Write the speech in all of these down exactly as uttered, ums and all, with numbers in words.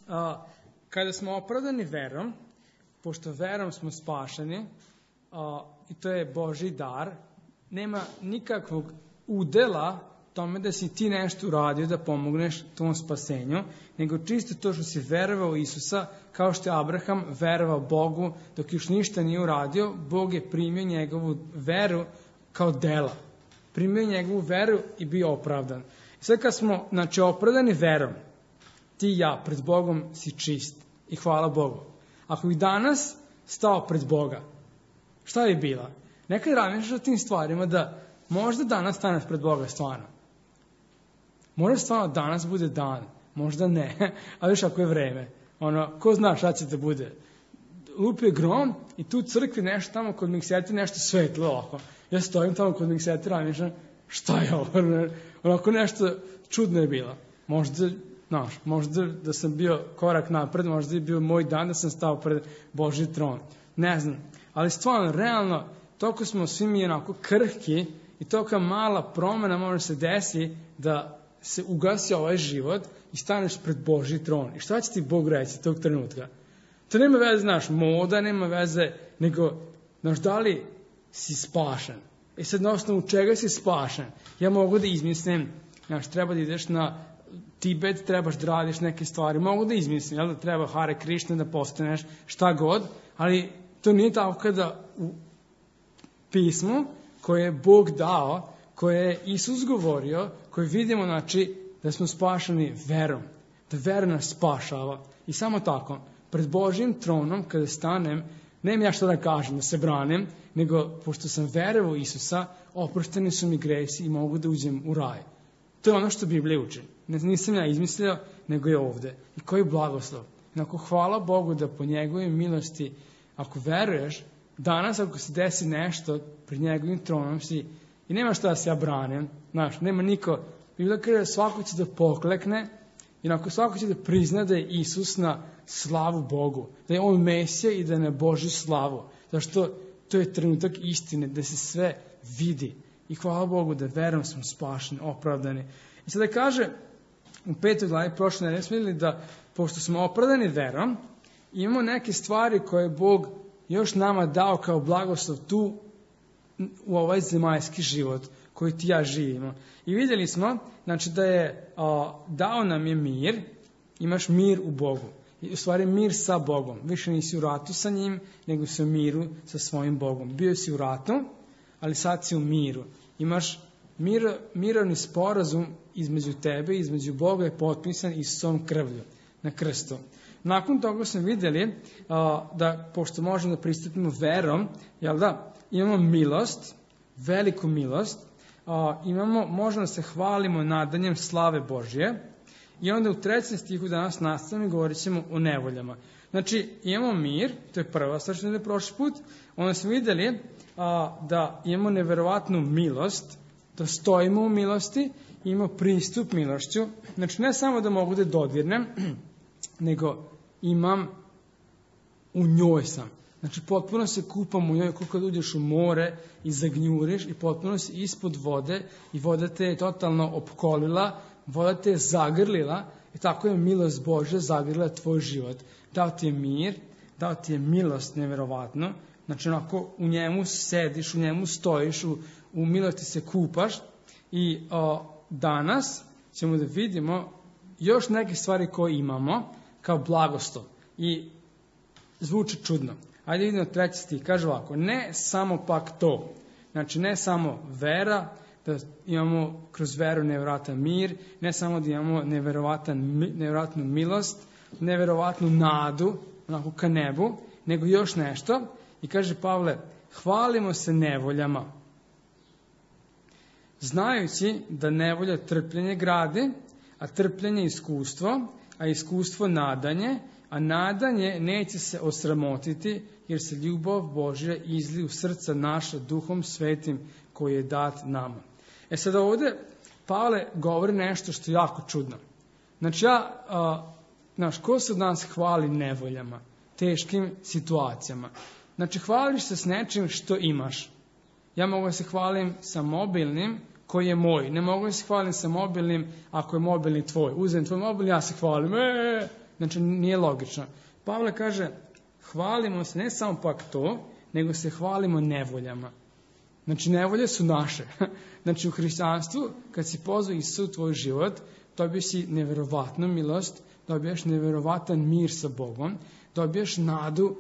a, kada smo opravdani verom, pošto verom smo spašeni, a, i to je Božji dar, nema nikakvog udela tome da si ti nešto uradio da pomogneš tom spasenju, nego čisto to što si verovao u Isusa, kao što je Abraham verovao Bogu, dok još ništa nije uradio, Bog je primio njegovu veru kao dela. Primio njegovu veru i bio opravdan. I sad kad smo, znači, opravdani verom, ti i ja pred Bogom si čist i hvala Bogu. Ako bi danas stao pred Boga, šta bi bila? Nekad razmišljaš o tim stvarima da možda danas staneš pred Boga stvarno. Možda stvarno danas bude dan, možda ne, ali još ako je vreme. Ono, ko zna šta će da bude? Lupi je grom i tu u crkvi nešto tamo kod mikseti nešto svetlo ovako. Ja stojim tamo kod mikseti razmišljam, šta je ovo? Onako nešto čudno je bilo. Možda, znaš, možda da sam bio korak napred, možda je bio moj dan da sam stao pred Božji tron. Ne znam, ali stvarno, realno, toliko smo svi mi onako krhki i tolika mala promjena može se desi da se ugasi ovaj život i staneš pred Božji tron. I šta će ti Bog reći tog trenutka? To nema veze, znaš, moda, nema veze, nego, znaš, da li si spašen? I sad na osnovu čega si spašen? Ja mogu da izmislim, znaš, treba da ideš na Tibet, trebaš da radiš neke stvari, mogu da izmislim, jel da treba Hare Krishna da postaneš, šta god, ali to nije tako kada u pismu koje je Bog dao, koje je Isus govorio, koje vidimo, znači, da smo spašeni verom, da vera nas spašava. I samo tako, pred Božjim tronom, kada stanem, nemam ja što da kažem, da se branim, nego, pošto sam verovao u Isusa, oprošteni su mi gresi i mogu da uđem u raj. To je ono što Biblija uči. Nisam ja izmislio, nego je ovde. I koji blagoslov. Inako, hvala Bogu da po njegovoj milosti, ako veruješ, danas ako se desi nešto, pred njegovim tronom si, i nema šta da se ja branim, znaš, nema niko, Biblija kaže svako će da poklekne, i ako svako će da prizna da je Isus na slavu Bogu, da je on Mesija i da je na Božju slavu, zašto to je trenutak istine, da se sve vidi. I hvala Bogu da verom smo spašeni, opravdani. I sada kaže, u petoj glavi prošle nedelje smo vidjeli da, pošto smo opravdani verom, imamo neke stvari koje Bog još nama dao kao blagoslov tu u ovaj zemaljski život koji ti ja živimo. I vidjeli smo, znači, da je a, dao nam je mir, imaš mir u Bogu. I u stvari mir sa Bogom. Više nisi u ratu sa njim, nego si u miru sa svojim Bogom. Bio si u ratu, ali sad si u miru. Imaš mir, mirovni sporazum između tebe i između Boga je potpisan Isusovom krvlju na krstu. Nakon toga smo vidjeli a, da, pošto možemo da pristupimo verom, jel da, imamo milost, veliku milost, a, imamo, možemo da se hvalimo nadanjem slave Božje, i onda u trećem stihu danas nastavimo i govorit ćemo o nevoljama. Znači, imamo mir, to je prva stvar što je prošli put, onda smo vidjeli a, da imamo neverovatnu milost, da stojimo u milosti, imamo pristup milošću, znači ne samo da mogu da dodirnem, nego imam, u njoj sam. Znači, potpuno se kupam u njoj, kako kad uđeš u more i zagnjuriš i potpuno si ispod vode i voda te je totalno opkolila, voda te je zagrlila i tako je milost Božja zagrlila tvoj život. Dao ti je mir, dao ti je milost neverovatno, znači onako u njemu sediš, u njemu stojiš, u, u milosti se kupaš i o, danas ćemo da vidimo još neke stvari koje imamo kao blagoslov i zvuči čudno. Ajde vidimo treći stih, kaže ovako, ne samo pak to, znači ne samo vera, da imamo kroz veru neverovatan mir, ne samo da imamo neverovatan, neverovatnu milost, neverovatnu nadu, onako ka nebu, nego još nešto. I kaže Pavle, hvalimo se nevoljama, znajući da nevolja trpljenje gradi, a trpljenje iskustvo, a iskustvo nadanje, a nadanje neće se osramotiti, jer se ljubav Božja izli u srca naša duhom svetim koji je dat nama. E sad ovdje Pavle govori nešto što je jako čudno. Znači ja, a, znaš, ko se od nas hvali nevoljama, teškim situacijama? Znači hvališ se s nečim što imaš. Ja mogu da se hvalim sa mobilnim koji je moj. Ne mogu da se hvalim sa mobilnim ako je mobilni tvoj. Uzem tvoj mobil, ja se hvalim, e, Znači, nije logično. Pavle kaže, hvalimo se ne samo pak to, nego se hvalimo nevoljama. Znači, nevolje su naše. Znači, u hrišćanstvu, kad si pozvao Isusa u tvoj život, dobiješ si neverovatnu milost, dobiješ neverovatan mir sa Bogom, dobiješ nadu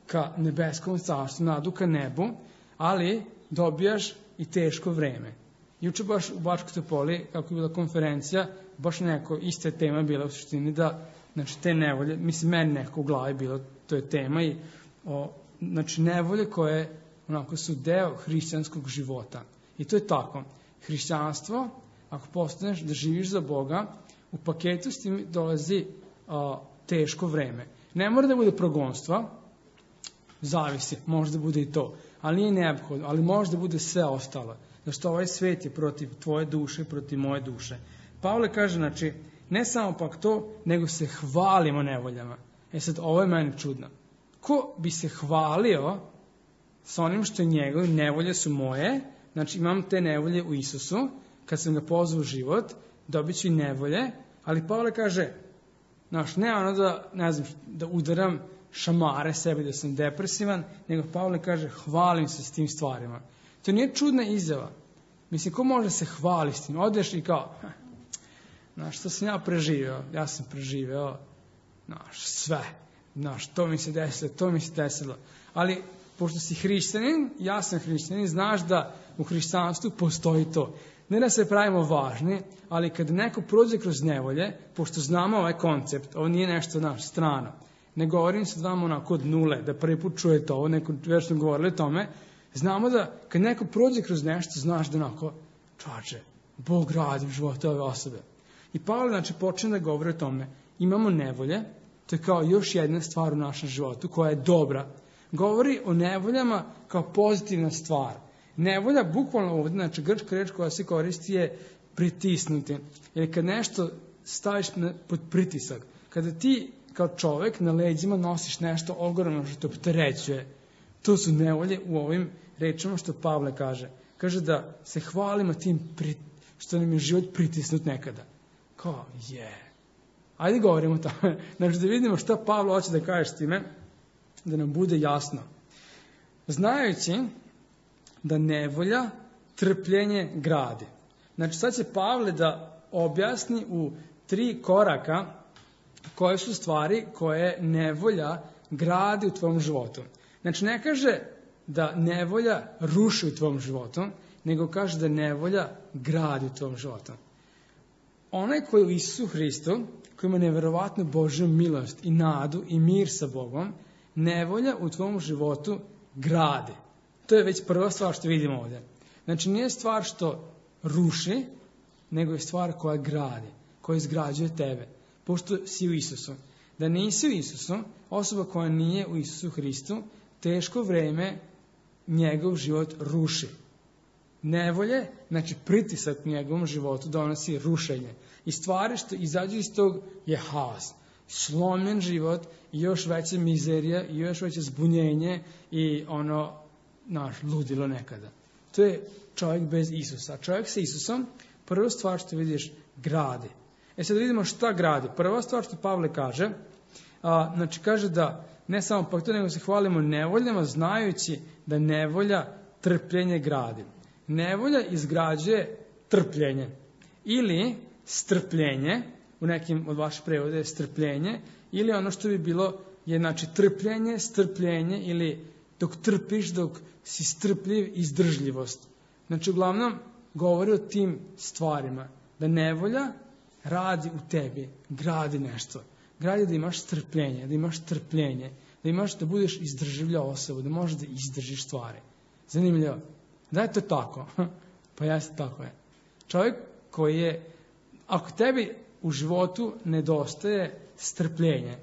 ka nebeskom carstvu, nadu ka nebu, ali dobijaš i teško vreme. Juče baš u Bačkoj Topoli, kako je bila konferencija, baš neko iste tema bila u suštini da, znači, te nevolje, mislim, meni neko u glavi bilo, to je tema i, o, znači, nevolje koje onako su deo hrišćanskog života. I to je tako. Hrišćanstvo, ako postaneš da živiš za Boga, u paketu s tim dolazi a, teško vreme. Ne mora da bude progonstva, zavisi, može da bude i to, ali nije neophodno, ali može da bude sve ostalo. Zašto ovaj svet je protiv tvoje duše, protiv moje duše. Pavle kaže, znači, ne samo pak to, nego se hvalimo nevoljama. E sad, ovo je meni čudno. Ko bi se hvalio sa onim što je njegov, nevolje su moje, znači imam te nevolje u Isusu, kad sam ga pozvao u život, dobit ću i nevolje, ali Pavle kaže, znaš, ne ono da, ne znam, da udaram šamare sebi, da sam depresivan, nego Pavle kaže, hvalim se s tim stvarima. To nije čudna izjava. Mislim, ko može se hvaliti s tim? Odeš i kao, znaš, što sam ja preživeo? Ja sam preživeo, znaš, sve. Znaš, to mi se desilo, to mi se desilo. Ali, pošto si hrišćanin, ja sam hrišćanin, znaš da u hrišćanstvu postoji to. Ne da se pravimo važni, ali kad neko prođe kroz nevolje, pošto znamo ovaj koncept, ovo nije nešto naš strano, ne govorim se vama onako od nule, da prvi put čujete ovo, neko već smo govorili o tome, znamo da kad neko prođe kroz nešto, znaš da onako, čoče, Bog radi u životu ove osobe. I Pavle, znači, počne da govori o tome, imamo nevolje, to je kao još jedna stvar u našem životu koja je dobra. Govori o nevoljama kao pozitivna stvar. Nevolja, bukvalno ovdje, znači grčka reč koja se koristi je pritisnuti. Jer kad nešto staviš pod pritisak, kada ti kao čovjek na leđima nosiš nešto ogromno što te opterećuje, to su nevolje u ovim rečima što Pavle kaže. Kaže da se hvalimo tim prit, što nam je život pritisnut nekada. Kao, je. Yeah. Ajde govorimo o tome. Znači da vidimo šta Pavle hoće da kaže s time, da nam bude jasno. Znajući da nevolja trpljenje gradi. Znači sad će Pavle da objasni u tri koraka koje su stvari koje nevolja gradi u tvom životu. Znači ne kaže da nevolja ruši u tvom životu, nego kaže da nevolja gradi u tvom životu. Onaj koji je u Isusu Hristu, koji ima neverovatnu Božju milost i nadu i mir sa Bogom, nevolja u tvom životu gradi. To je već prva stvar što vidimo ovdje. Znači nije stvar što ruši, nego je stvar koja gradi, koja izgrađuje tebe, pošto si u Isusu. Da nisi u Isusu, osoba koja nije u Isusu Hristu, teško vreme njegov život ruši. Nevolje, znači pritisak u njegovom životu donosi rušenje. I stvari što izađu iz tog je haos. Slomljen život i još veća mizerija i još veće zbunjenje i ono, naš, ludilo nekada. To je čovjek bez Isusa. Čovjek sa Isusom, prva stvar što vidiš, gradi. E sad vidimo šta gradi. Prva stvar što Pavle kaže, a, znači kaže da ne samo pak to, nego se hvalimo nevoljama, znajući da nevolja trpljenje gradi. Nevolja izgrađuje trpljenje. Ili strpljenje, u nekim od vaših prevoda je strpljenje, ili ono što bi bilo je znači trpljenje, strpljenje, ili dok trpiš, dok si strpljiv, izdržljivost. Znači uglavnom govori o tim stvarima. Da nevolja radi u tebi, gradi nešto. Gradi da imaš strpljenje, da imaš trpljenje, da imaš da budeš izdržljiva osoba, da možeš da izdržiš stvari. Zanimljivo. Da je to tako? Pa jeste tako je. Čovjek koji je, ako tebi u životu nedostaje strpljenje,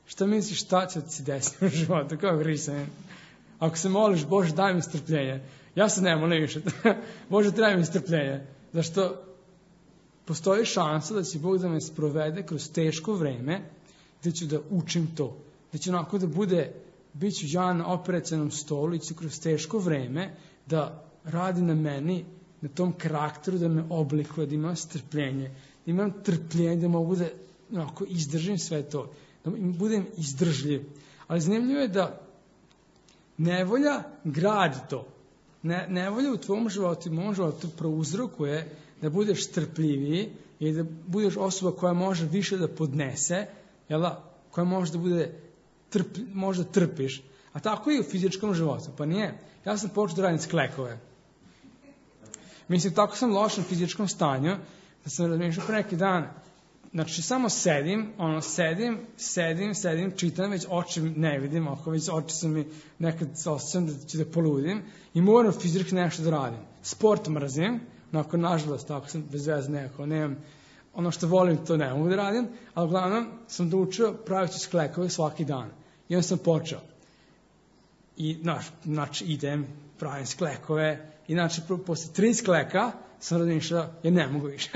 šta misliš šta će ti desiti u životu kao hrišćanin? Ako se moliš, Bože daj mi strpljenje. Ja se ne molim više. Bože treba mi strpljenje. Zašto postoji šansa da će Bog da me sprovede kroz teško vreme, gdje ću da učim to. Da će onako da bude, bit ću ja na operacionom stolu i ću kroz teško vreme da radi na meni, na tom karakteru, da me oblikuje, da imam strpljenje, da imam trpljenje, da mogu da onako, izdržim sve to, da budem izdržljiv. Ali zanimljivo je da nevolja gradi to. Ne, nevolja u tvom životu i mom životu prouzrokuje da budeš strpljiviji i da budeš osoba koja može više da podnese, jel, koja može da bude trp, može da trpiš. A tako i u fizičkom životu, pa nije. Ja sam počeo da radim sklekove. Mislim, tako sam u lošem fizičkom stanju, da sam razmišljao pre neki dan, znači samo sedim, ono, sedim, sedim, sedim, čitam, već oči ne vidim, ako već oči su mi nekad osjećam da ću da poludim i moram fizički nešto da radim. Sport mrzim, onako, nažalost, tako sam bez veze nekako, nemam, ono što volim to ne mogu da radim, ali uglavnom sam doučio pravići sklekove svaki dan. I onda sam počeo. I, znaš, znači, idem, pravim sklekove, i znači, posle tri skleka sam razmišljao, ja ne mogu više.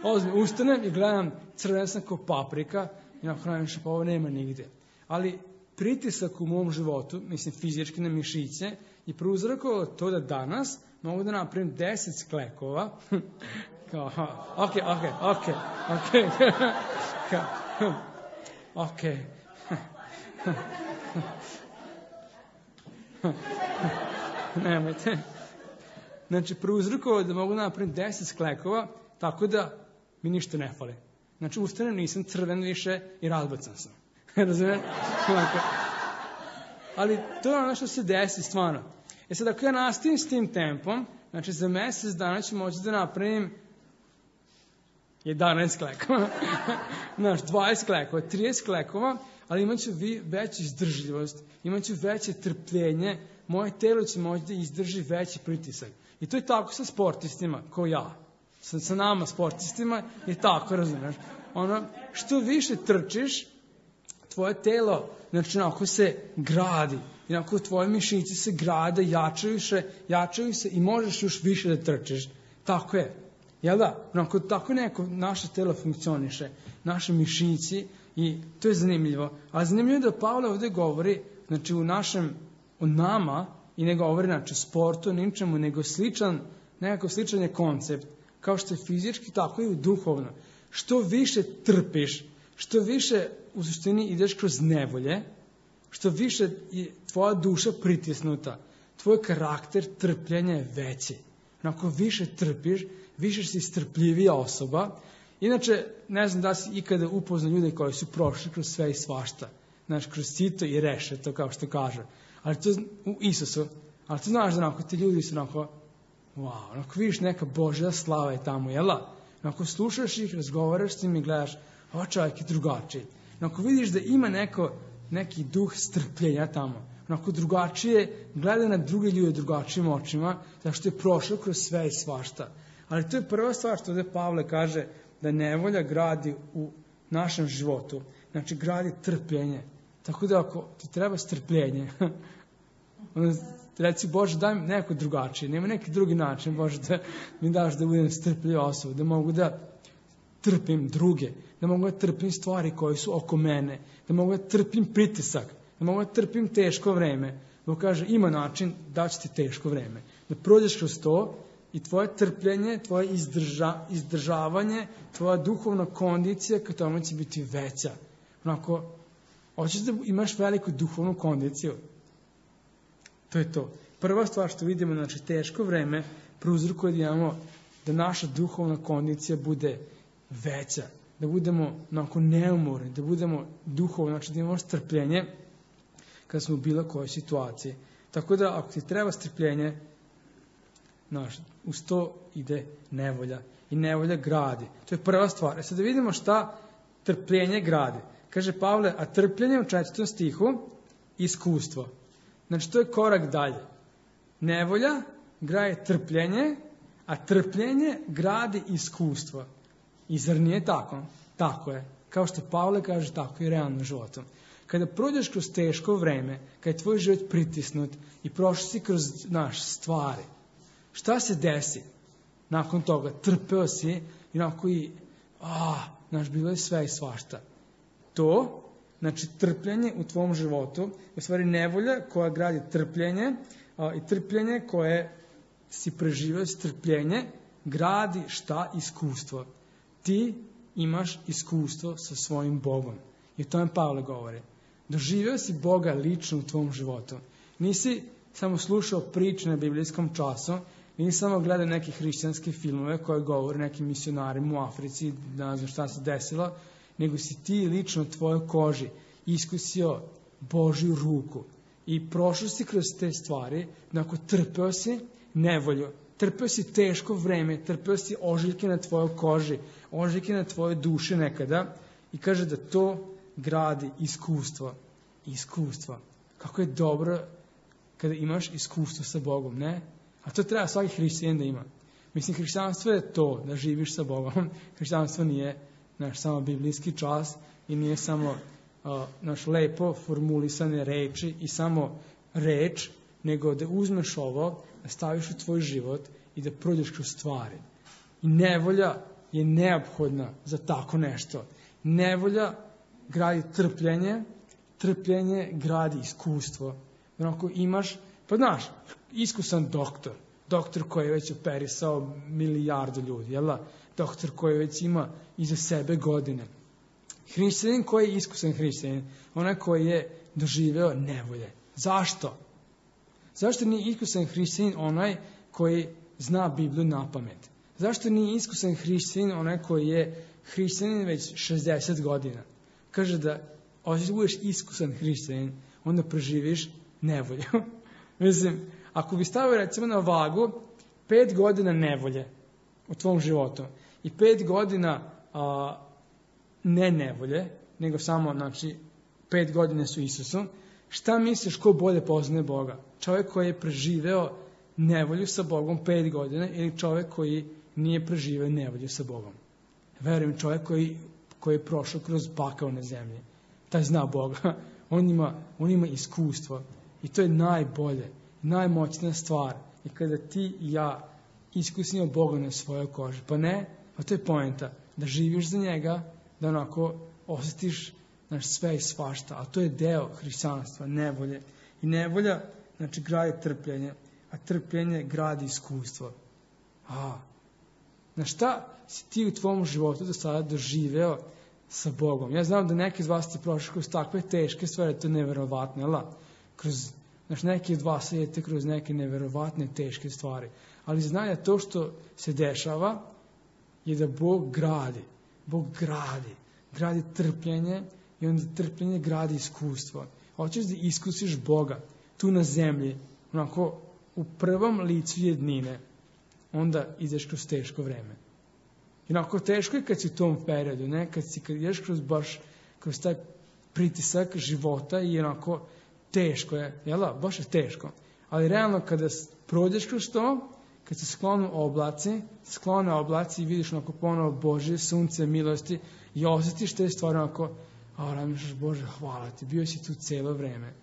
Ozbiljno, ustanem i gledam crven sam kao paprika, i onako razmišljam, pa ovo nema nigde. Ali pritisak u mom životu, mislim, fizički na mišiće, je prouzrokovao to da danas mogu da napravim deset sklekova. Kao, ok, ok, ok, ok, ok. Nemojte. Znači, prouzrokovao da mogu da napravim deset sklekova, tako da mi ništa ne fali. Znači, ustanem, nisam crven više i razbacan sam. Razumiješ? Ali to je ono što se desi stvarno. E sad, ako ja nastavim s tim tempom, znači za mesec dana ću moći da napravim jedanaest klekova, znaš, dvadeset klekova, trideset klekova, ali imat ću veću izdržljivost, imat ću veće trpljenje, moje telo će moći da izdrži veći pritisak. I to je tako sa sportistima, kao ja. Sa, sa nama sportistima je tako, razumiješ? Ono, što više trčiš, tvoje telo, znači, onako se gradi. I onako tvoje mišiće se grade, jačaju se, jačaju se i možeš još više da trčiš. Tako je. Jel da? Onako, tako neko naše telo funkcioniše, naše mišići, i to je zanimljivo. A zanimljivo je da Pavle ovdje govori, znači, u našem, o nama, i ne govori, znači, sportu, ničemu, nego sličan, nekako sličan je koncept, kao što je fizički, tako i u duhovno. Što više trpiš, što više u suštini ideš kroz nevolje, što više je tvoja duša pritisnuta, tvoj karakter trpljenja je veći. Onako više trpiš, više si strpljivija osoba. Inače, ne znam da si ikada upoznao ljude koji su prošli kroz sve i svašta. Znači, kroz sito i rešeto, kao što kaže. Ali to u Isusu. Ali ti znaš da onako, ti ljudi su onako, wow, onako vidiš neka Božja slava je tamo, jela? Onako slušaš ih, razgovaraš s njim i gledaš, ovo čovjek je drugačiji. Onako vidiš da ima neko, neki duh strpljenja tamo. Onako drugačije, gleda na druge ljude drugačijim očima, zato što je prošao kroz sve i svašta. Ali to je prva stvar što ovdje Pavle kaže, da nevolja gradi u našem životu. Znači, gradi trpljenje. Tako da ako ti treba strpljenje, onda reci, Bože, daj mi neko drugačije, nema neki drugi način, Bože, da mi daš da budem strpljiva osoba, da mogu da trpim druge, da mogu da trpim stvari koje su oko mene, da mogu da trpim pritisak, da mogu da trpim teško vreme. Bog kaže, ima način da će ti teško vreme. Da prođeš kroz to i tvoje trpljenje, tvoje izdrža, izdržavanje, tvoja duhovna kondicija ka tome će biti veća. Onako, hoćeš da imaš veliku duhovnu kondiciju. To je to. Prva stvar što vidimo, znači teško vreme, prouzrokuje da imamo da naša duhovna kondicija bude veća, da budemo onako neumorni, da budemo duhovno, znači da imamo strpljenje kada smo u bilo kojoj situaciji. Tako da ako ti treba strpljenje, znaš, uz to ide nevolja. I nevolja gradi. To je prva stvar. E sad da vidimo šta trpljenje gradi. Kaže Pavle, a trpljenje u četvrtom stihu, iskustvo. Znači to je korak dalje. Nevolja gradi trpljenje, a trpljenje gradi iskustvo. I zar nije tako? Tako je. Kao što Pavle kaže, tako i realno životom. Kada prođeš kroz teško vreme, kada je tvoj život pritisnut i prošli si kroz naš stvari, šta se desi? Nakon toga trpeo si i nakon i, a, znaš, bilo je sve i svašta. To, znači trpljenje u tvom životu, u stvari nevolja koja gradi trpljenje, a, i trpljenje koje si preživio, strpljenje, gradi šta? Iskustvo. Ti imaš iskustvo sa svojim Bogom. I o tome Pavle govori. Doživio si Boga lično u tvom životu. Nisi samo slušao priče na biblijskom času, nisi samo gledao neke hrišćanske filmove koje govore nekim misionarima u Africi, ne znam šta se desilo, nego si ti lično u tvojoj koži iskusio Božju ruku. I prošao si kroz te stvari, onako trpeo si nevolju, trpeo si teško vreme, trpeo si ožiljke na tvojoj koži, ožiljke na tvojoj duši nekada i kaže da to gradi iskustvo. Iskustvo. Kako je dobro kada imaš iskustvo sa Bogom, ne? A to treba svaki hrišćanin da ima. Mislim, hrišćanstvo je to, da živiš sa Bogom. Hrišćanstvo nije naš samo biblijski čas i nije samo uh, naš lepo formulisane reči i samo reč, nego da uzmeš ovo, da staviš u tvoj život i da prođeš kroz stvari. I nevolja je neophodna za tako nešto. Nevolja gradi trpljenje, trpljenje gradi iskustvo. Onako imaš, pa znaš, iskusan doktor, doktor koji je već operisao milijardu ljudi, jel da? Doktor koji već ima iza sebe godine. Hrišćanin koji je iskusan hrišćanin, onaj koji je doživeo nevolje. Zašto? Zašto nije iskusan hrišćanin onaj koji zna Bibliju na pamet? Zašto nije iskusan hrišćanin onaj koji je hrišćanin već šezdeset godina? Kaže da, ako budeš iskusan hrišćanin, onda preživiš nevolju. Mislim, ako bi stavio recimo na vagu pet godina nevolje u tvom životu i pet godina a, ne nevolje, nego samo, znači, pet godina su Isusu, šta misliš ko bolje poznaje Boga? Čovjek koji je preživeo nevolju sa Bogom pet godina ili čovjek koji nije preživeo nevolju sa Bogom? Verujem, čovjek koji, koji je prošao kroz pakao na zemlji, taj zna Boga, on ima, on ima iskustvo i to je najbolje, najmoćnija stvar. I kada ti i ja iskusimo Boga na svojoj koži, pa ne, pa to je poenta, da živiš za njega, da onako osjetiš naš sve i svašta, a to je deo hrišćanstva, nevolje. I nevolja, znači, gradi trpljenje, a trpljenje gradi iskustvo. A, na šta si ti u tvom životu do sada doživeo sa Bogom? Ja znam da neki iz vas ste prošli kroz takve teške stvari, to je neverovatno, jel? Kroz, znači, neki od vas idete kroz neke neverovatne teške stvari. Ali znaj da to što se dešava je da Bog gradi. Bog gradi. Gradi trpljenje i onda trpljenje gradi iskustvo. Hoćeš da iskusiš Boga tu na zemlji, onako u prvom licu jednine, onda ideš kroz teško vreme. I onako teško je kad si u tom periodu, ne? Kad si, kad ideš kroz baš, kroz taj pritisak života i onako teško je, jel da? Baš je teško. Ali realno kada prođeš kroz to, kad se sklonu oblaci, sklone oblaci i vidiš onako ponovo Božje sunce, milosti i osjetiš te stvari onako, a razmišljaš, Bože, hvala ti, bio si tu cijelo vreme.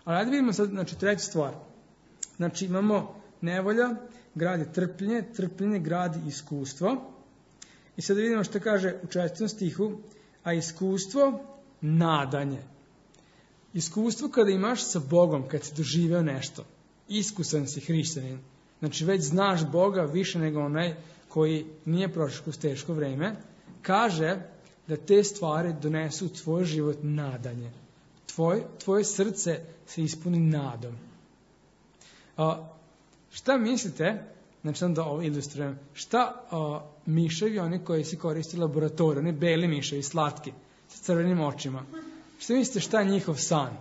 Ali ajde vidimo sad, znači, treću stvar. Znači, imamo nevolja, gradi trpljenje, trpljenje gradi iskustvo. I sad vidimo što kaže u četvrtom stihu, a iskustvo, nadanje. Iskustvo kada imaš sa Bogom, kad si doživeo nešto, iskusan si hrišćanin, znači već znaš Boga više nego onaj koji nije prošao kroz teško vreme, kaže da te stvari donesu u tvoj život nadanje. Tvoj, tvoje srce se ispuni nadom. A, šta mislite, znači da ovo ilustrujem, šta a, miševi, oni koji se koriste u laboratoriju, oni beli miševi, slatki, sa crvenim očima, šta mislite šta je njihov san?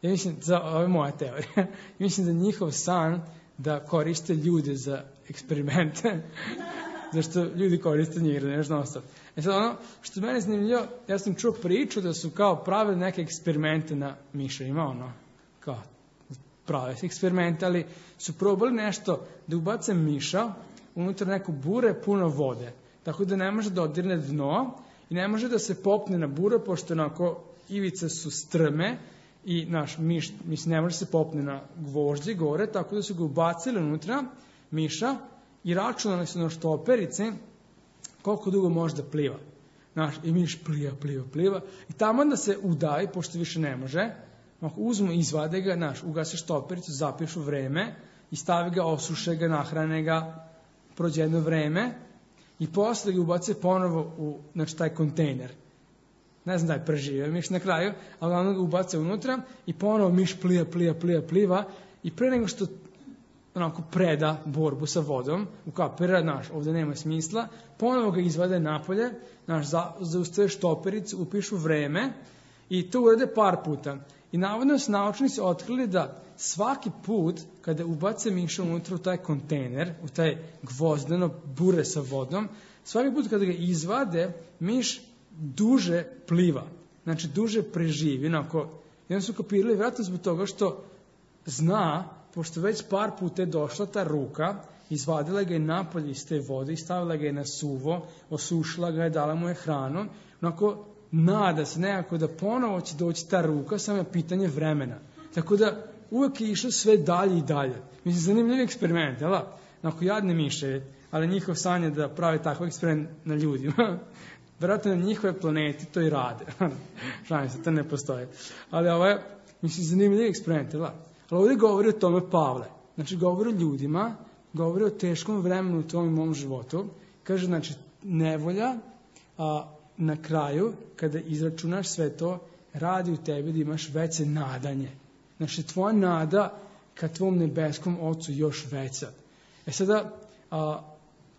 Ja mislim, za, ovo je moja teorija, ja mislim da njihov san da koriste ljude za eksperimente, zašto ljudi koriste njih, da nešto ostalo. E sad ono, što mene zanimljivo, ja sam čuo priču da su kao pravili neke eksperimente na miševima, ono, kao prave eksperimente, ali su probali nešto da ubace miša unutar neku bure puno vode, tako da ne može da odirne dno i ne može da se popne na bure, pošto onako ivice su strme i naš miš, mislim, ne može se popne na gvožđe gore, tako da su ga ubacili unutra miša i računali su na štoperice koliko dugo može da pliva. Naš, i miš pliva, pliva, pliva i tamo da se udavi, pošto više ne može, uzmu, izvade ga, naš, ugase štopericu, zapišu vreme i stavi ga, osuše ga, nahrane ga, prođe jedno vreme i posle ga ubace ponovo u, znači, taj kontejner. Ne znam da je preživio miš na kraju, ali ono ga ubace unutra i ponovo miš plija, plija, plija, pliva i pre nego što onako preda borbu sa vodom, ukapira, znaš, ovdje nema smisla, ponovo ga izvade napolje, znaš, za, zaustave štopericu, upišu vreme i to urade par puta. I navodno su naučnici otkrili da svaki put kada ubace miša unutra u taj kontejner, u taj gvozdeno bure sa vodom, svaki put kada ga izvade, miš duže pliva, znači duže preživi. Onako, jedan su kapirali vjerojatno zbog toga što zna, pošto već par puta je došla ta ruka, izvadila ga je napolje iz te vode i stavila ga je na suvo, osušila ga je, dala mu je hranu, onako nada se nekako da ponovo će doći ta ruka, samo je pitanje vremena. Tako da uvek je išlo sve dalje i dalje. Mislim, zanimljiv eksperiment, jel? Onako jadne miše, ali njihov san je da prave takav eksperiment na ljudima. Vjerojatno na njihove planeti to i rade. Šalim se, to ne postoje. Ali ovo je, mislim, zanimljiv eksperiment, jel? Ali ovdje govori o tome Pavle. Znači, govori o ljudima, govori o teškom vremenu u tom i mom životu. Kaže, znači, nevolja, a na kraju, kada izračunaš sve to, radi u tebi da imaš veće nadanje. Znači, tvoja nada ka tvom nebeskom Ocu još veća. E sada, a,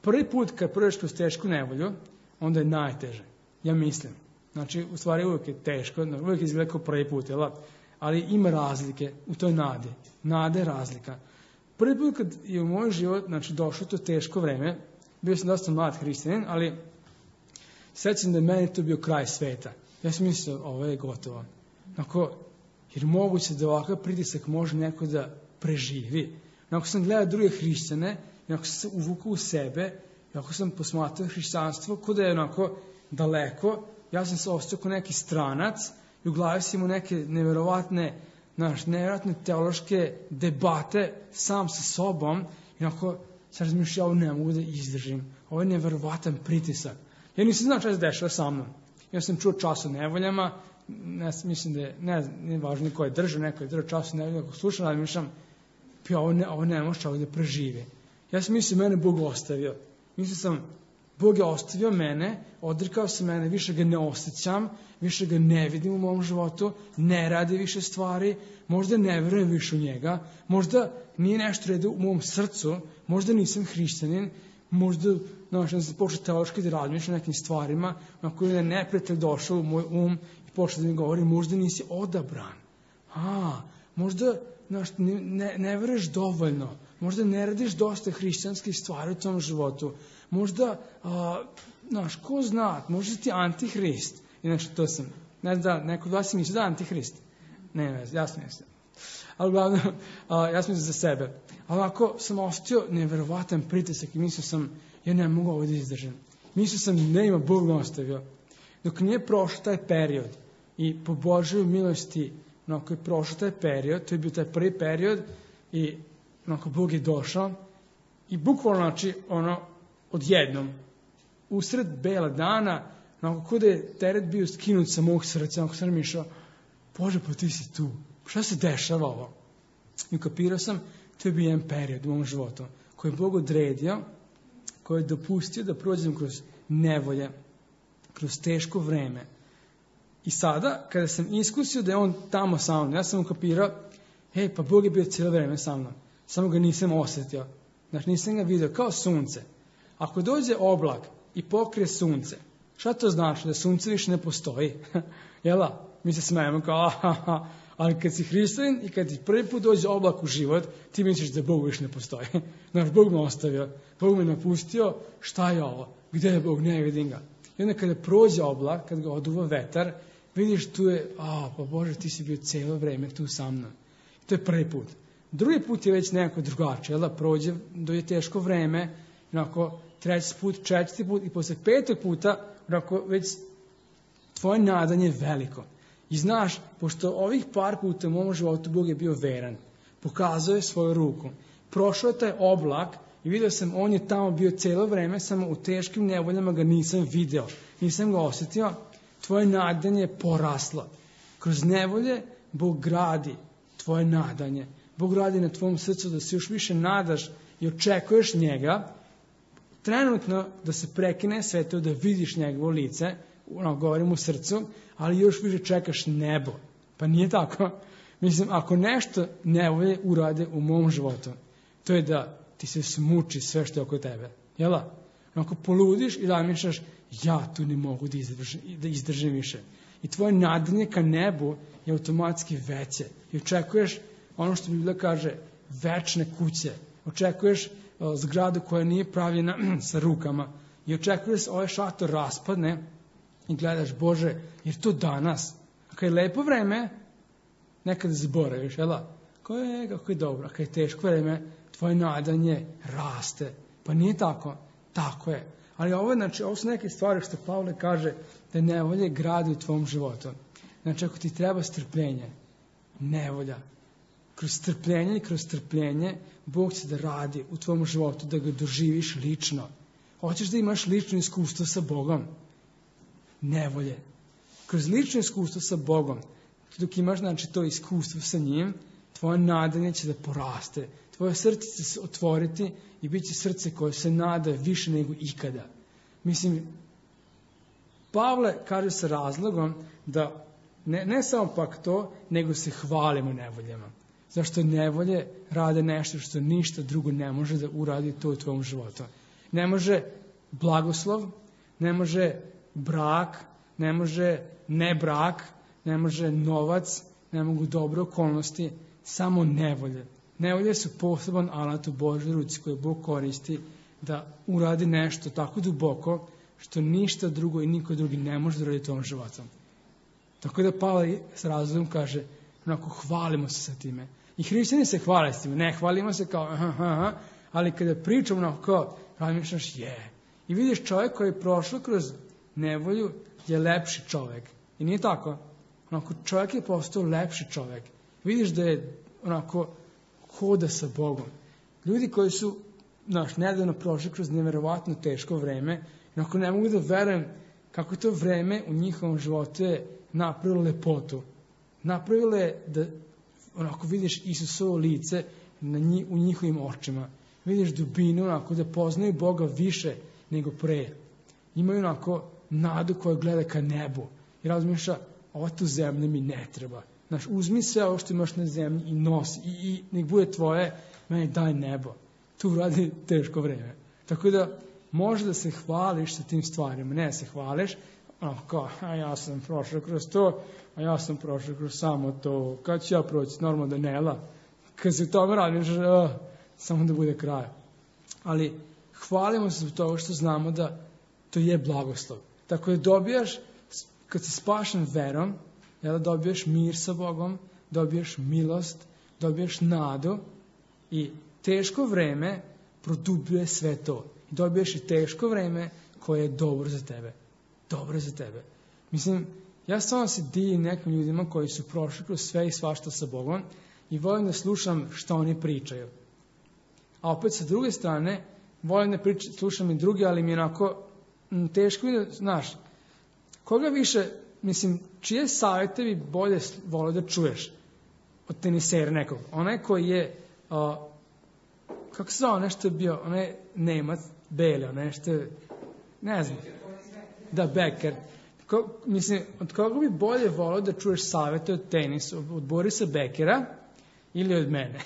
prvi put kad prođeš kroz tešku nevolju, onda je najteže. Ja mislim. Znači, u stvari uvijek je teško, uvijek izgleda kao prvi put, jel? Ali ima razlike u toj nadi. Nada je razlika. Prvi put kad je u moj život, znači, došlo to teško vreme, bio sam dosta mlad hrišćanin, ali sjećam da je meni to bio kraj sveta. Ja sam mislio, ovo je gotovo. Onako, jer moguće da ovakav pritisak može neko da preživi. Onako sam gledao druge hrišćane, onako sam se uvukao u sebe, onako sam posmatrao hrišćanstvo, kod je onako daleko, ja sam se ostao kao neki stranac i u glavi sam imao neke nevjerovatne, znaš, nevjerovatne teološke debate sam sa sobom i onako sam razmišljao, ovo ne mogu da izdržim. Ovo je nevjerovatan pritisak. Ja nisam znao šta se dešava sa mnom. Ja sam čuo čas o nevoljama, ne, mislim da je, ne znam, nije važno ko je držao, neko je držao čas o nevoljama, ako slušam, ali mišljam, pa ovo ne, ovo ne može čovjek da preživi. Ja sam mislio, mene Bog ostavio. Mislio sam, Bog je ostavio mene, odrikao se mene, više ga ne osjećam, više ga ne vidim u mom životu, ne radi više stvari, možda ne vjerujem više u njega, možda nije nešto redu u mom srcu, možda nisam hrišćanin, možda, znaš, da sam počeo teološki da razmišljam o nekim stvarima, na koje je neprijatelj došao u moj um i počeo da mi govori, možda nisi odabran. A, možda, znaš, ne, ne veruješ dovoljno, možda ne radiš dosta hrišćanskih stvari u tom životu, možda, a, znaš, ko zna, možda ti antihrist. Inače, to sam, ne znam da, neko od vas misli da antihrist. Ne, ne, ja sam mislim. Ali uglavnom, a, ja sam za sebe. Ali ako sam ostio nevjerovatan pritisak i mislio sam, ja ne mogu ovo da izdržim. Mislio sam, ne ima, Bog me ostavio. Dok nije prošao taj period i po Božoj milosti, onako je prošao taj period, to je bio taj prvi period i onako Bog je došao i bukvalno, znači, ono, odjednom, usred bela dana, onako kuda je teret bio skinut sa mog srca, onako sam mišao, Bože, pa ti si tu, šta se dešava ovo? I ukapirao sam, to je bio jedan period u mom životu, koji je Bog odredio, koji je dopustio da prođem kroz nevolje, kroz teško vreme. I sada, kada sam iskusio da je on tamo sa mnom, ja sam ukapirao, hej, pa Bog je bio cijelo vreme sa mnom, samo ga nisam osjetio. Znači, nisam ga vidio kao sunce. Ako dođe oblak i pokrije sunce, šta to znači? Da sunce više ne postoji? Jela? Mi se smijemo kao, aha, ali kad si hrišćanin i kad ti prvi put dođe oblak u život, ti misliš da Bog više ne postoji. Znači, Bog me ostavio, Bog me napustio, šta je ovo? Gdje je Bog? Ne vidim ga. I onda kada prođe oblak, kad ga oduva vetar, vidiš tu je, a, pa Bože, ti si bio cijelo vreme tu sa mnom. I to je prvi put. Drugi put je već nekako drugačije, jel da prođe, dođe teško vreme, onako, treći put, četvrti put i posle petog puta, onako, već tvoje nadanje je veliko. I znaš, pošto ovih par puta u mom životu Bog je bio veran, pokazao je svoju ruku, prošao je taj oblak i vidio sam, on je tamo bio cijelo vreme, samo u teškim nevoljama ga nisam video, nisam ga osjetio, tvoje nadanje je poraslo. Kroz nevolje Bog gradi tvoje nadanje. Bog radi na tvom srcu da se još više nadaš i očekuješ njega, trenutno da se prekine sve to, da vidiš njegovo lice, ono, govorim u srcu, ali još više čekaš nebo. Pa nije tako. Mislim, ako nešto nevolje urade u mom životu, to je da ti se smuči sve što je oko tebe. Jel da? Ako poludiš i zamišljaš, ja tu ne mogu da izdržim, da izdržim više. I tvoje nadanje ka nebu je automatski veće. I očekuješ ono što Biblija kaže, večne kuće. Očekuješ uh, zgradu koja nije pravljena sa rukama. I očekuješ ovaj šator raspadne i gledaš, Bože, jer to danas. Ako je lepo vreme, nekada zaboraviš, jel da? Kako je, kako je dobro. Ako je teško vreme, tvoje nadanje raste. Pa nije tako. Tako je. Ali ovo, znači, ovo su neke stvari što Pavle kaže da nevolje gradi u tvom životu. Znači, ako ti treba strpljenje, nevolja, kroz strpljenje i kroz strpljenje, Bog će da radi u tvom životu, da ga doživiš lično. Hoćeš da imaš lično iskustvo sa Bogom? Nevolje. Kroz lično iskustvo sa Bogom, dok imaš, znači, to iskustvo sa njim, tvoje nadanje će da poraste. Tvoje srce će se otvoriti i bit će srce koje se nada više nego ikada. Mislim, Pavle kaže sa razlogom da ne, ne samo pak to, nego se hvalimo nevoljama. Zašto nevolje rade nešto što ništa drugo ne može da uradi to u tvom životu. Ne može blagoslov, ne može brak, ne može ne brak, ne može novac, ne mogu dobre okolnosti, samo nevolje. Nevolje su poseban alat u Božoj ruci koje Bog koristi da uradi nešto tako duboko što ništa drugo i niko drugi ne može da uradi tvojom životom. Tako da Pavle s razlogom kaže, onako, hvalimo se sa time. I hrišćani se hvale s time. Ne, hvalimo se kao, aha, aha, ali kada pričamo onako kao, razmišljaš, je. I vidiš čovjek koji je prošao kroz nevolju je lepši čovjek. I nije tako. Onako, čovjek je postao lepši čovjek. Vidiš da je onako hoda sa Bogom. Ljudi koji su, znaš, nedavno prošli kroz nevjerovatno teško vreme, onako ne mogu da verujem kako to vreme u njihovom životu je napravilo lepotu. Napravilo je da onako vidiš Isusovo lice na njih, u njihovim očima. Vidiš dubinu, onako da poznaju Boga više nego pre. Imaju onako nadu koja gleda ka nebu. I razmišlja, ova tu zemlja mi ne treba. Znaš, uzmi sve ovo što imaš na zemlji i nosi. I, i nek bude tvoje, meni daj nebo. Tu radi teško vreme. Tako da, može da se hvališ sa tim stvarima. Ne se hvališ, onako kao, a ja sam prošao kroz to, a ja sam prošao kroz samo to. Kad ću ja proći? Normalno da nela. Kad se tome radiš, uh, samo da bude kraj. Ali hvalimo se zbog toga što znamo da to je blagoslov. Tako da dobijaš, kad si spašen verom, jel, dobijaš mir sa Bogom, dobijaš milost, dobijaš nadu i teško vreme produbljuje sve to. Dobijaš i teško vreme koje je dobro za tebe. Dobro za tebe. Mislim, ja stvarno se divim nekim ljudima koji su prošli kroz sve i svašta sa Bogom i volim da slušam što oni pričaju. A opet sa druge strane, volim da priča, slušam i drugi, ali mi je onako m, teško mi da, znaš, koga više, mislim, čije savjete bi bolje volio da čuješ od tenisera nekog? Onaj koji je, uh, kako se zove, nešto je bio, onaj Nemac, Bele, onaj nešto je, ne znam, da, Becker. Ko, mislim, od koga bi bolje volio da čuješ savjete od tenisa, od Borisa Beckera ili od mene?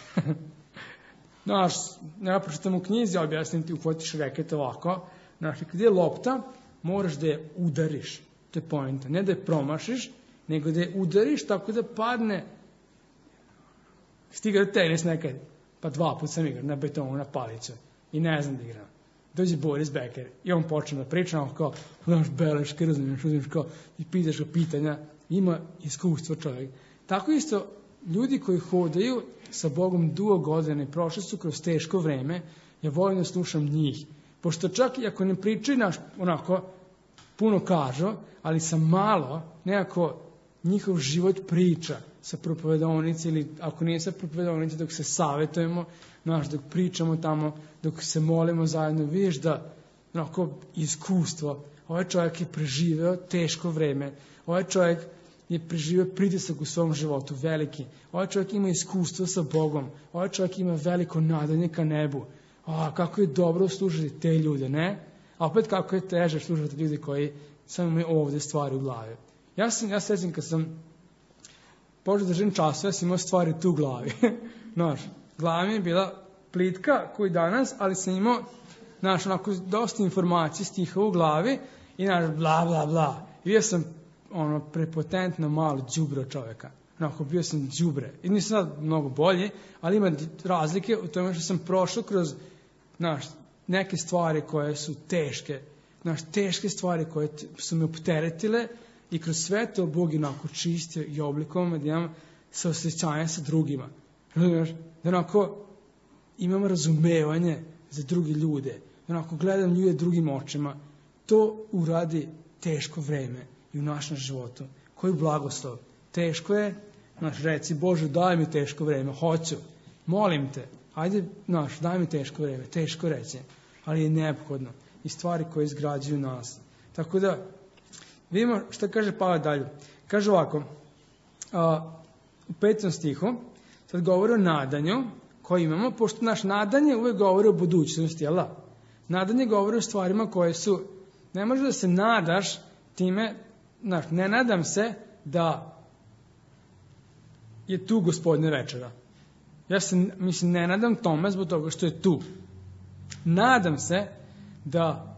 Znaš, ja pročitam u knjizi, objasnim ti, uhvatiš reket ovako, znaš, kad je lopta, moraš da je udariš. To je poenta. Ne da je promašiš, nego da je udariš tako da padne. Stiga tenis nekad, pa dva put sam igrao na betonu, na palicu. I ne znam da igram. Dođe Boris Becker i on počne da priča, on kao, znaš, beleške, razumiješ, uzmiš kao, i pitaš ga pitanja, ima iskustvo čovjek. Tako isto, ljudi koji hodaju sa Bogom dugo godina i prošli su kroz teško vreme, ja volim da slušam njih. Pošto čak i ako ne pričaju naš, onako, puno kažu, ali sa malo, nekako njihov život priča sa propovedonice ili ako nije sa propovedonice, dok se savjetujemo, znaš, dok pričamo tamo, dok se molimo zajedno, vidiš da onako iskustvo, ovaj čovjek je preživeo teško vreme, ovaj čovjek je preživeo pritisak u svom životu, veliki, ovaj čovjek ima iskustvo sa Bogom, ovaj čovjek ima veliko nadanje ka nebu, a kako je dobro slušati te ljude, ne? A opet kako je teže slušati ljudi koji samo imaju ovde stvari u glavi. Ja sam, ja sećam kad sam počeo da živim času, ja sam imao stvari tu u glavi. Znaš, glava mi je bila plitka koji danas, ali sam imao, znaš, onako dosta informacija stihova u glavi i znaš, bla, bla, bla. I bio sam, ono, prepotentno malo đubro čoveka. Onako, bio sam đubre. I nisam sad mnogo bolji, ali ima razlike u tome što sam prošao kroz, znaš, neke stvari koje su teške. Znaš, teške stvari koje su me opteretile i kroz sve to Bog je onako čistio i oblikovao me da imam saosećanje sa drugima. Znaš, da onako imam razumevanje za drugi ljude. Da onako gledam ljude drugim očima. To uradi teško vreme i u našem životu. Koji blagoslov. Teško je, znaš, reci, Bože, daj mi teško vreme, hoću, molim te, ajde, znaš, daj mi teško vreme, teško reći, ali je neophodno i stvari koje izgrađuju nas. Tako da, vidimo šta kaže Pavle dalje. Kaže ovako, a, u petom stihu, sad govori o nadanju koje imamo, pošto naš nadanje uvek govori o budućnosti, jel da? Nadanje govori o stvarima koje su, ne može da se nadaš time, znaš, ne nadam se da je tu Gospodnja večera. Ja se, mislim, ne nadam tome zbog toga što je tu. Nadam se da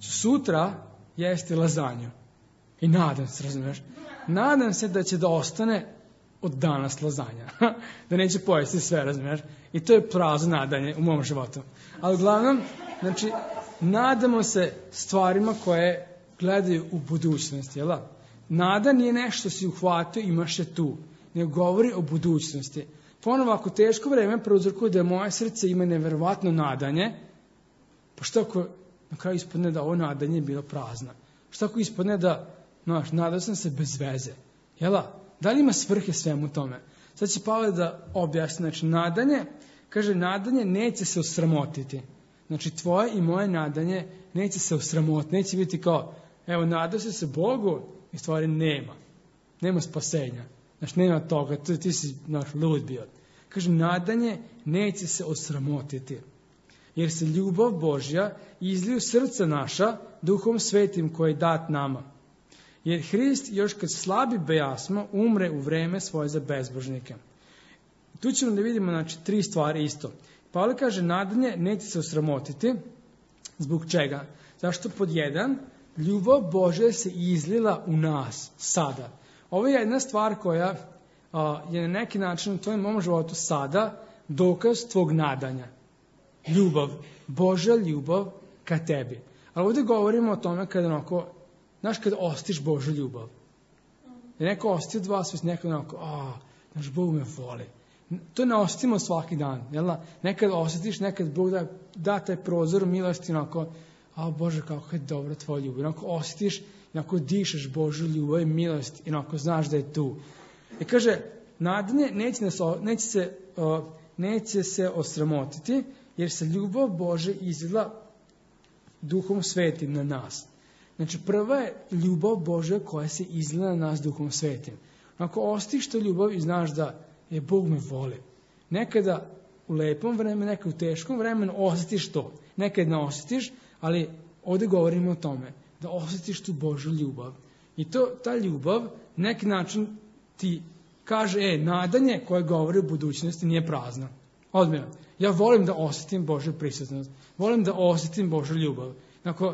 ću sutra jesti lazanju. I nadam se, razumiješ? Nadam se da će da ostane od danas lazanja. Da neće pojesti sve, razumiješ? I to je prazno nadanje u mom životu. Ali uglavnom, znači, nadamo se stvarima koje gledaju u budućnosti, jel da? Nada nije nešto si uhvatio, imaš je tu. Nego govori o budućnosti. Ponovo, ako teško vreme prouzrokuje da moje srce ima neverovatno nadanje, pa što ako na kraju ispadne da ovo nadanje je bilo prazno? Što ako ispadne da, znaš, nadao sam se bez veze? Jela? Da li ima svrhe svemu tome? Sad će Pavle da objasni. Znači, nadanje, kaže, nadanje neće se osramotiti. Znači, tvoje i moje nadanje neće se osramotiti. Neće biti kao, evo, nadao se se Bogu i stvari nema. Nema spasenja. Znaš, nema toga, ti, ti si, znaš, lud bio. Kaže, nadanje neće se osramotiti. Jer se ljubav Božja izliju srca naša Duhom Svetim koji je dat nama. Jer Hrist još kad slabi bejasmo umre u vreme svoje za bezbožnike. Tu ćemo da vidimo, znači, tri stvari isto. Pavle kaže, nadanje neće se osramotiti. Zbog čega? Zašto pod jedan, ljubav Božja se izlila u nas sada. Ovo je jedna stvar koja a, je na neki način u tvojom mom životu sada dokaz tvog nadanja. Ljubav, Božja ljubav ka tebi. Ali ovdje govorimo o tome kada onako, znaš, kada ostiš Božju ljubav. Je neko osti od vas, već neko onako, a, znaš, Bog me voli. To ne ostimo svaki dan, jel da? Nekad osjetiš, nekad Bog da, da taj prozor milosti, onako, a Bože, kako je dobra tvoja ljubav. Onako osjetiš, onako dišeš Božju ljubav i milost i onako znaš da je tu. I kaže, nadanje neće, nas, neće, se, uh, neće se osramotiti, jer se ljubav Bože izlila Duhom Svetim na nas. Znači, prva je ljubav Božja koja se izlila na nas Duhom Svetim. Ako ostiš to ljubav i znaš da je Bog me voli. Nekada u lepom vremenu, nekada u teškom vremenu osjetiš to. Nekada ne osjetiš, ali ovdje govorimo o tome. Da osjetiš tu Božju ljubav. I to, ta ljubav, neki način ti kaže, e, nadanje koje govori o budućnosti nije prazno. Odmjeno. Ja volim da osjetim Božju prisutnost. Volim da osjetim Božju ljubav. Dakle,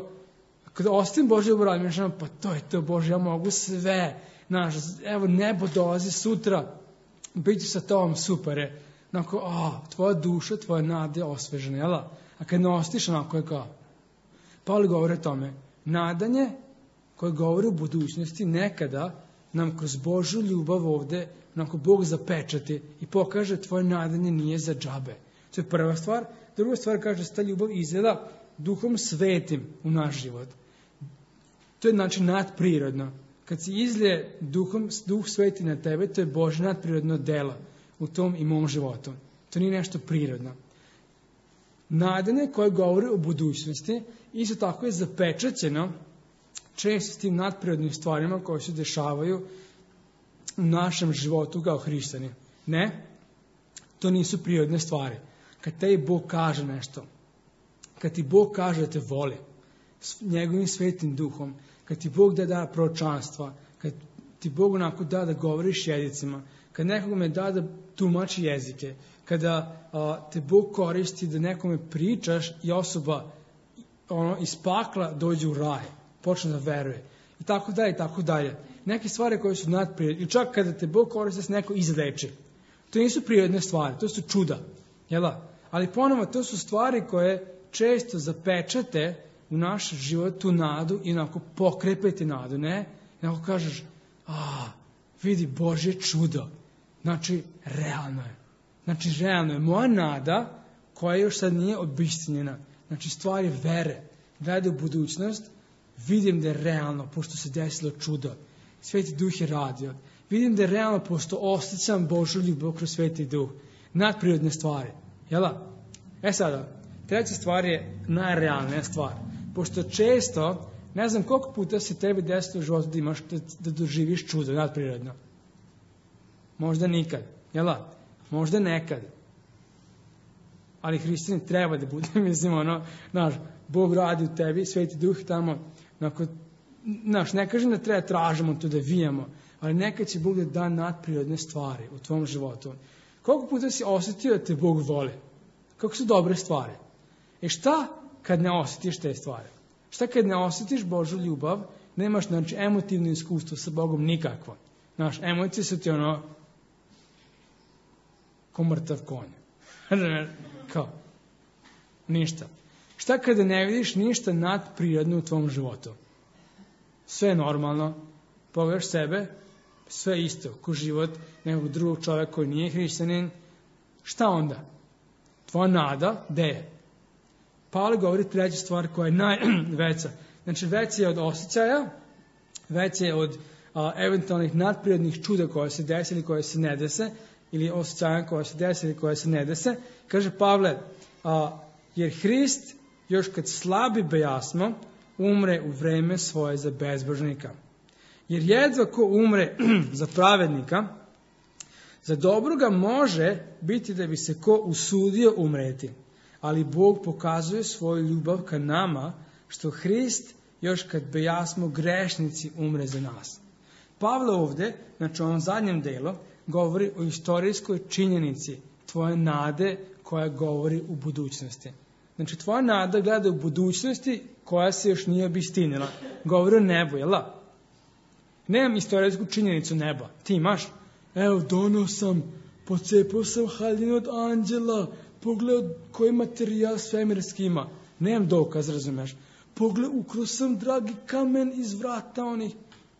kada osjetim Božju ljubav, radim, pa to je to, Bože, ja mogu sve. Znaš, evo, nebo dolazi sutra, biti sa tobom, super je. Dakle, a, tvoja duša, tvoja nada je osvežena, jel? A kad ne osjetiš, onako je kao. Pavle govori o tome. Nadanje koje govori o budućnosti nekada nam kroz Božju ljubav ovde onako Bog zapečati i pokaže tvoje nadanje nije za džabe. To je prva stvar. Druga stvar kaže da se ta ljubav izgleda Duhom Svetim u naš život. To je znači nadprirodno. Kad se izlije duhom, Duh Sveti na tebe, to je Božje nadprirodno delo u tom i mom životu. To nije nešto prirodno. Nadanje koje govori o budućnosti isto tako je zapečaćeno često s tim nadprirodnim stvarima koje se dešavaju u našem životu kao hrišćani. Ne, to nisu prirodne stvari. kad tebi Bog kaže nešto, kad ti Bog kaže da te voli, njegovim svetim duhom, kad ti Bog da da proročanstva, kad ti Bog onako da da govoriš jezicima, kad nekome da da tumači jezike, kada a, te Bog koristi da nekome pričaš i osoba ono, iz pakla dođe u raj, počne da veruje. I tako dalje, i tako dalje. Neke stvari koje su nadprirodne, i čak kada te Bog koristi da se neko izleči. To nisu prirodne stvari, to su čuda. Jela? Ali ponovo, to su stvari koje često zapečate u naš život tu nadu i onako pokrepete nadu, ne? I onako kažeš, a, vidi Božje čudo. Znači, realno je. Znači, realno je. Moja nada, koja još sad nije obistinjena, znači stvari vere, gleda u budućnost, vidim da je realno, pošto se desilo čudo. Sveti Duh je radio. Vidim da je realno, pošto osjećam Božju ljubav kroz Sveti Duh. Nadprirodne stvari. Jela? E sada, treća stvar je najrealnija stvar. Pošto često, ne znam koliko puta se tebi desilo u životu da imaš da, da doživiš čudo nadprirodno. Možda nikad. Jela? Možda nekad. Ali hrišćanin treba da bude, mislim, ono, znaš, Bog radi u tebi, Sveti Duh tamo, onako, znaš, ne kažem da treba tražimo to da vijamo, ali nekad će Bog da da nadprirodne stvari u tvom životu. Koliko puta si osjetio da te Bog voli? Kako su dobre stvari? E šta kad ne osjetiš te stvari? Šta kad ne osjetiš Božju ljubav, nemaš, znači, emotivno iskustvo sa Bogom nikakvo? Znaš, emocije su ti ono, ko mrtav konj. Kao, ništa. Šta kada ne vidiš ništa nadprirodno u tvom životu? Sve je normalno, pogledaš sebe, sve isto, ko život nekog drugog čovjeka koji nije hrišćanin, šta onda? Tvoja nada, gde je? Pavle govori treća stvar koja je najveća. Znači, veća je od osjećaja, veća je od a, eventualnih nadprirodnih čuda koje se dese ili koje se ne dese, ili osjećaja koje se dese ili koje se ne dese. Kaže Pavle, a, jer Hrist, još kad slabi bejasmo, umre u vreme svoje za bezbožnika. Jer jedva ko umre za pravednika, za dobroga može biti da bi se ko usudio umreti. Ali Bog pokazuje svoju ljubav ka nama, što Hrist, još kad bejasmo grešnici, umre za nas. Pavle ovdje, znači u ovom zadnjem delu, govori o istorijskoj činjenici tvoje nade koja govori u budućnosti. Znači, tvoja nada gleda u budućnosti koja se još nije obistinila. Govori o nebu, jel da? Nemam istorijsku činjenicu neba. Ti imaš? Evo, donio sam, pocepao sam haljinu od anđela, pogledao koji materijal svemirski ima. Nemam dokaz, razumeš? Pogledao, ukro sam dragi kamen iz vrata onih.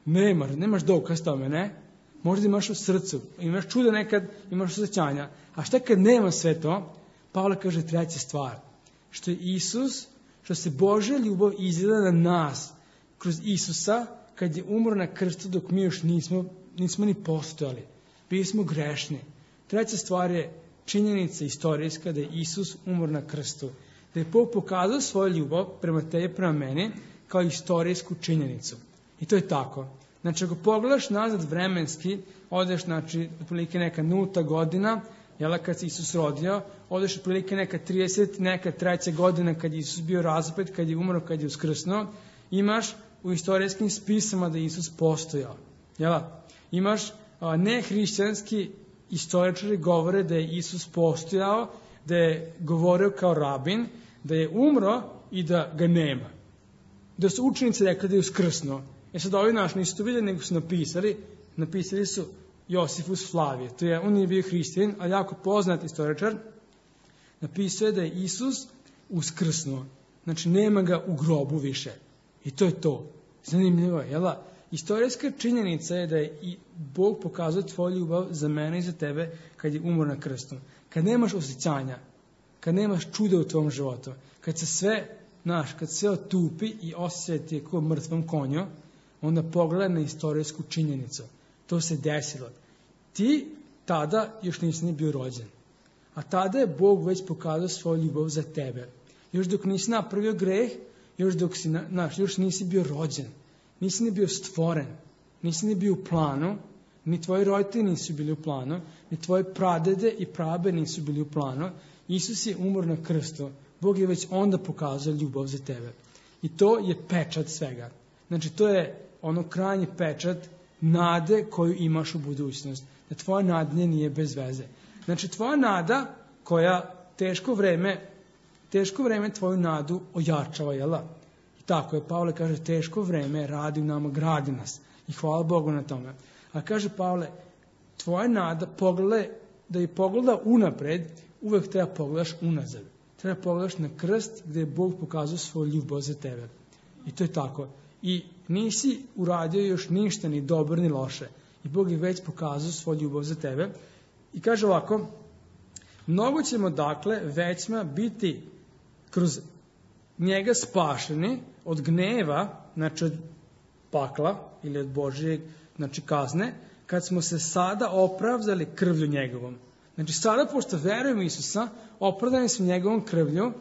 Nema, nemaš dokaz tome, ne? Možda imaš u srcu, imaš čuda nekad, imaš osjećanja. A šta kad nema sve to? Pavle kaže treća stvar. Što je Isus, što se Božja ljubav izgleda na nas kroz Isusa, kad je umro na krstu dok mi još nismo, nismo ni postojali. Bili smo grešni. Treća stvar je činjenica istorijska da je Isus umro na krstu. Da je Bog pokazao svoju ljubav prema tebi, prema meni, kao istorijsku činjenicu. I to je tako. Znači, ako pogledaš nazad vremenski, odeš, znači, otprilike neka nulta godina, jel, kad se Isus rodio, odeš otprilike neka trideset, neka treća godina kad je Isus bio razapet, kad je umro, kad je uskrsnuo, imaš u istorijskim spisama da je Isus postojao. Jel? Imaš a, nehrišćanski istoričari govore da je Isus postojao, da je govorio kao rabin, da je umro i da ga nema. Da su učenici rekli da je uskrsnuo. E sad ovi naši nisu to vidjeli, nego su napisali, napisali su Josifus Flavije. To je, on je bio hristijan, ali jako poznat istoričar. Napisao je da je Isus uskrsnuo. Znači, nema ga u grobu više. I to je to. Zanimljivo je, jel da? Istorijska činjenica je da je i Bog pokazao tvoju ljubav za mene i za tebe kad je umro na krstu. Kad nemaš osjećanja, kad nemaš čuda u tvom životu, kad se sve, znaš, kad sve otupi i osjeća ti kao mrtvom konju, onda pogledaj na istorijsku činjenicu. To se desilo. Ti tada još nisi ni bio rođen. A tada je Bog već pokazao svoju ljubav za tebe. Još dok nisi napravio greh, još dok si, naš, još nisi bio rođen. Nisi ni bio stvoren. Nisi ni bio u planu. Ni tvoji roditelji nisu bili u planu. Ni tvoje pradede i prabe nisu bili u planu. Isus je umro na krstu. Bog je već onda pokazao ljubav za tebe. I to je pečat svega. Znači, to je ono krajnji pečat nade koju imaš u budućnost. Da tvoja nada nije bez veze. Znači, tvoja nada koja teško vreme, teško vreme tvoju nadu ojačava, jel da? I tako je, Pavle kaže, teško vreme radi u nama, gradi nas. I hvala Bogu na tome. A kaže Pavle, tvoja nada, pogledaj, da je pogleda unapred, uvek treba pogledaš unazad. Treba pogledaš na krst gdje je Bog pokazao svoju ljubav za tebe. I to je tako. I nisi uradio još ništa, ni dobro, ni loše. I Bog je već pokazao svoju ljubav za tebe. I kaže ovako, mnogo ćemo dakle većma biti kroz njega spašeni od gneva, znači od pakla ili od Božje, znači kazne, kad smo se sada opravdali krvlju njegovom. Znači sada, pošto verujemo Isusa, opravdani smo njegovom krvlju,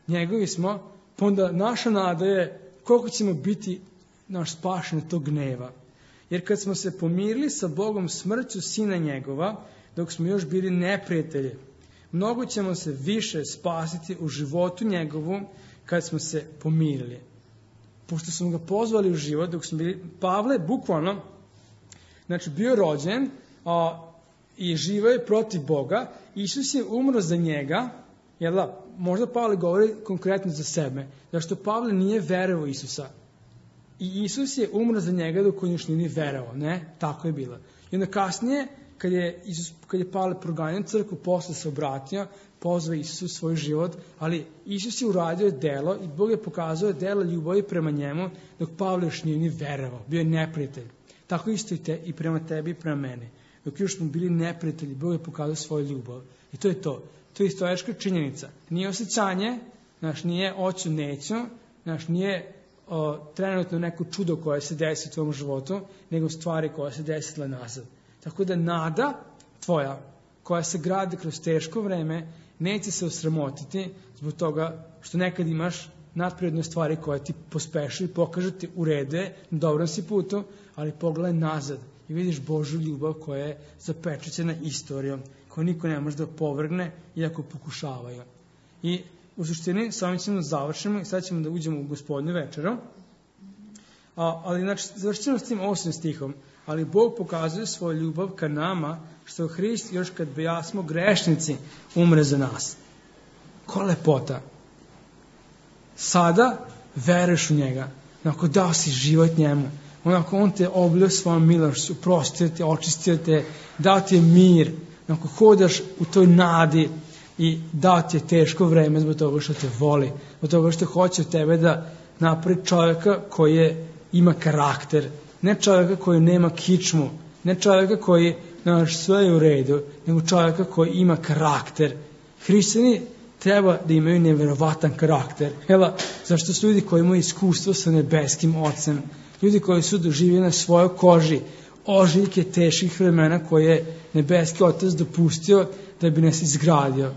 njegovi smo, pa onda naša nada je koliko ćemo biti naš spašen od tog gneva. Jer kad smo se pomirili sa Bogom smrću sina njegova, dok smo još bili neprijatelji, mnogo ćemo se više spasiti u životu njegovom kad smo se pomirili. Pošto smo ga pozvali u život, dok smo bili, Pavle bukvalno, znači bio rođen a, i živio je protiv Boga, Isus je umro za njega, jel da, možda Pavle govori konkretno za sebe, zašto Pavle nije verovao Isusa. I Isus je umro za njega dok on još nije verovao, ne? Tako je bilo. I onda kasnije, kad je, Isus, kad je Pavle proganjao crkvu, posle se obratio, pozvao Isus u svoj život, ali Isus je uradio delo i Bog je pokazao delo ljubavi prema njemu, dok Pavle još nije ni verovao, bio je neprijatelj. Tako isto i, te, i prema tebi i prema meni. Dok još smo bili neprijatelji, Bog je pokazao svoju ljubav. I to je to. To je istorička činjenica. Nije osjećanje, znaš, nije oću neću, znaš, nije o, trenutno neko čudo koje se desi u tvojom životu, nego stvari koje se desile nazad. Tako da nada tvoja, koja se gradi kroz teško vreme, neće se osramotiti zbog toga što nekad imaš nadprirodne stvari koje ti pospešu i pokažu ti u redu je, na dobrom si putu, ali pogledaj nazad i vidiš Božju ljubav koja je zapečaćena istorijom, koju niko ne može da opovrgne, iako pokušavaju. I u suštini, sa ovim ćemo da završimo i sad ćemo da uđemo u Gospodnju večeru. A, ali znači, završit ćemo s tim osmim stihom. Ali Bog pokazuje svoju ljubav ka nama, što Hrist još kad bejasmo grešnici umre za nas. Ko lepota! Sada veruješ u njega, onako dao si život njemu, onako on te oblio svojom milošću, oprostio te, očistio te, dao ti je mir, onako hodaš u toj nadi i dao ti je teško vreme zbog toga što te voli, zbog toga što hoće od tebe da napravi čovjeka koji je, ima karakter, ne čovjeka koji nema kičmu, ne čovjeka koji, znaš, sve je u redu, nego čovjeka koji ima karakter. Hrišćani treba da imaju neverovatan karakter. Hela, zašto su ljudi koji imaju iskustvo sa nebeskim Ocem, ljudi koji su doživjeli na svojoj koži ožiljke teških vremena koje je nebeski Otac dopustio da bi nas izgradio.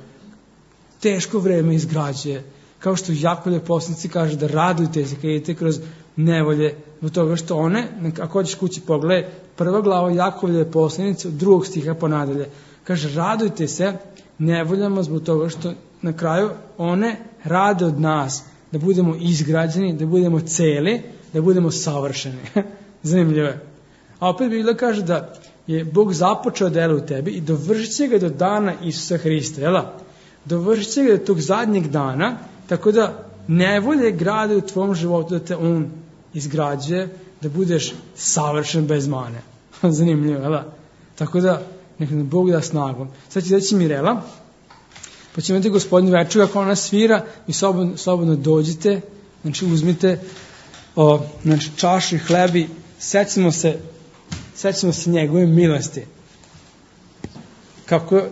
Teško vreme izgrađuje. Kao što Jakovljev poslanici kaže da radujte se kad idete kroz nevolje, zbog toga što one, ako hoćeš kući pogledaj, prva glava Jakovljeve poslanice od drugog stiha pa nadalje. Kaže, radujte se nevoljama zbog toga što na kraju one rade od nas da budemo izgrađeni, da budemo celi, da budemo savršeni. Zanimljivo je. A opet Biblia kaže da je Bog započeo delo u tebi i dovršit će ga do dana Isusa Hrista. Jela? Dovršit će ga do tog zadnjeg dana, tako da nevolje grade u tvom životu da te on izgrađuje, da budeš savršen bez mane. Zanimljivo, jela? Tako da, neka nam Bog da snagom. Sad će reći Mirela, pa ćemo imati Gospodnju večeru, kako ona svira, vi slobodno, slobodno dođite, znači uzmite o, znači, čašu i hlebi, sećamo se, sećamo se njegove milosti. Kako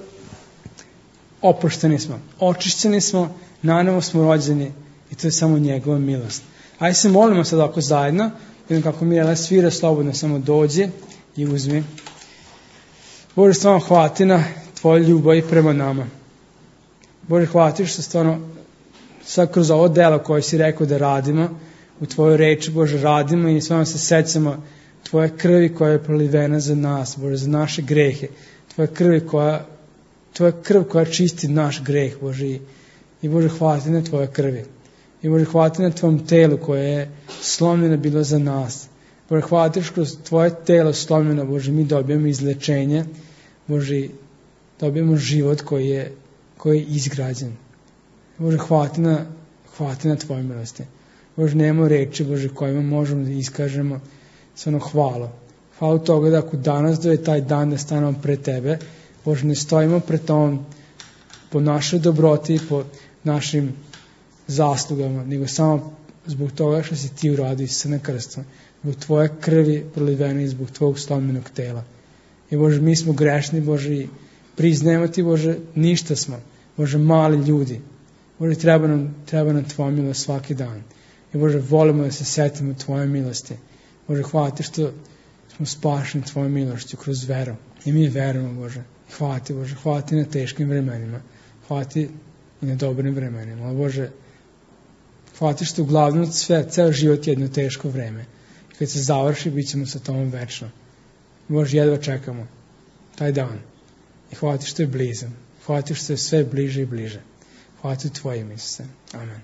oprošteni smo, očišćeni smo, nanovo smo rođeni i to je samo njegova milost. Ajde se molimo sad ovako zajedno, vidim kako Mirela svira, slobodno samo dođi i uzmi. Bože, stvarno hvala ti na tvoju ljubav i prema nama. Bože, hvala ti što stvarno sad kroz ovo delo koje si rekao da radimo, u tvojoj reči, Bože, radimo i stvarno se sećamo tvoje krvi koja je prolivena za nas, Bože, za naše grehe, tvoje krvi koja Tvoja krv koja čisti naš greh, Bože. I Bože, hvala ti na Tvoje krvi. I Bože, hvala ti na Tvom telu koje je slomljeno bilo za nas. Bože, hvala ti što kroz Tvoje telo slomljeno, Bože, mi dobijemo izlečenje. Bože, dobijemo život koji je, koji je izgrađen. Bože, hvala ti na, hvala ti na Tvoje milosti. Bože, nemamo reči, Bože, kojima možemo da iskažemo stvarno hvalu. Hvala toga da ako danas da je taj dan da stanemo pred Tebe, Bože, ne stojimo pred Tobom po našoj dobroti, po našim zaslugama, nego samo zbog toga što si Ti uradio Isusa na krstu, zbog Tvoje krvi prolivene i zbog Tvojeg slomljenog tela. I Bože, mi smo grešni, Bože, i priznajemo Ti, Bože, ništa smo, Bože, mali ljudi. Bože, treba nam, treba nam Tvoja milost svaki dan. I Bože, volimo da se setimo Tvoje milosti. Bože, hvala Ti što smo spašeni Tvojom milošću kroz veru. I mi verujemo, Bože. Hvala Ti, Bože, hvala Ti na teškim vremenima. Hvala Ti i na dobrim vremenima. Ali, Bože, hvala Ti što uglavnom sve, ceo život je jedno teško vreme. I kad se završi, bit ćemo sa Tobom večno. Bože, jedva čekamo taj dan. I hvala Ti što je blizan. Hvala Ti što je sve bliže i bliže. Hvala Ti u Tvojim, Isuse. Amen.